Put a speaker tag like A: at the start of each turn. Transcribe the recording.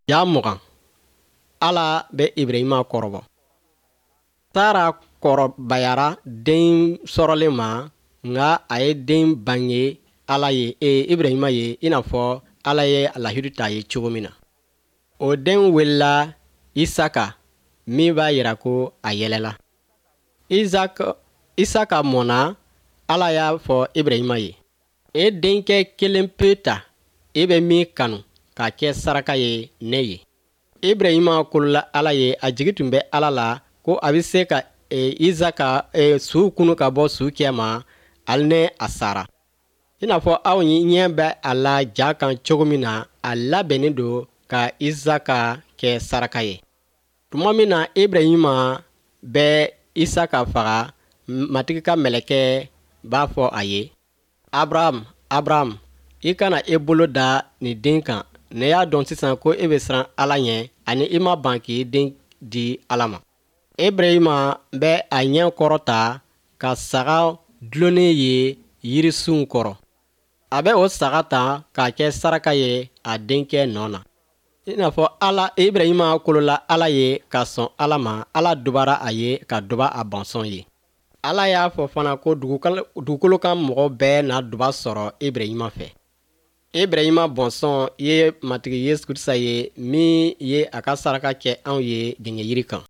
A: Ja 20. Ala bɛ Ibrahima kɔrɔbɔ. Sara kɔrɔbayara den sɔrɔlen ma, nka a ye den bange Ala ye e Ibrahima ye i n'a fɔ Ala ye a lahidu ta ye cogo min na. O den welela Isaka min b'a yira ko a yɛlɛla. Isaka mɔna, Ala y'a fɔ Ibrahima ye. E denkɛ kelen pe ta, e bɛ min kanu k'a kɛ saraka ye ne ye. Ibrahima kolola Ala ye, a jigi tun bɛ Ala la ko a bɛ se ka e, Isaka e, su kunu ka bɔ su cɛma hali ni a sara. I n'a fɔ aw ɲɛ bɛ a la ja kan cogo min na, a labɛnnen don ka Isaka kɛ saraka ye. Tuma min na Ibrahima bɛ Isaka faga, Matigi ka mɛlɛkɛ b'a fɔ a ye. Abraham, Abraham, i kana i bolo da nin den kan. Ne y'a dɔn sisan ko e bɛ siran Ala ɲɛ ani i ma ban k'i den di Ala ma. Ibrahima bɛ a ɲɛ kɔrɔta ka saga dulonnen ye yirisunw kɔrɔ. A bɛ o saga ta k'a kɛ saraka ye a denkɛ nɔ na. I n'a fɔ Ala Ibrahima kolola Ala ye ka sɔn Ala ma, Ala dubara a ye ka duba a bɔnsɔn ye. Ala y'a fɔ fana ko dugukolo kan mɔgɔ bɛɛ na duba sɔrɔ Ibrahima fɛ. Ibrahima bɔnsɔn ye Matigi Yesu Krisita ye min ye a ka saraka kɛ anw ye gengenjiri kan.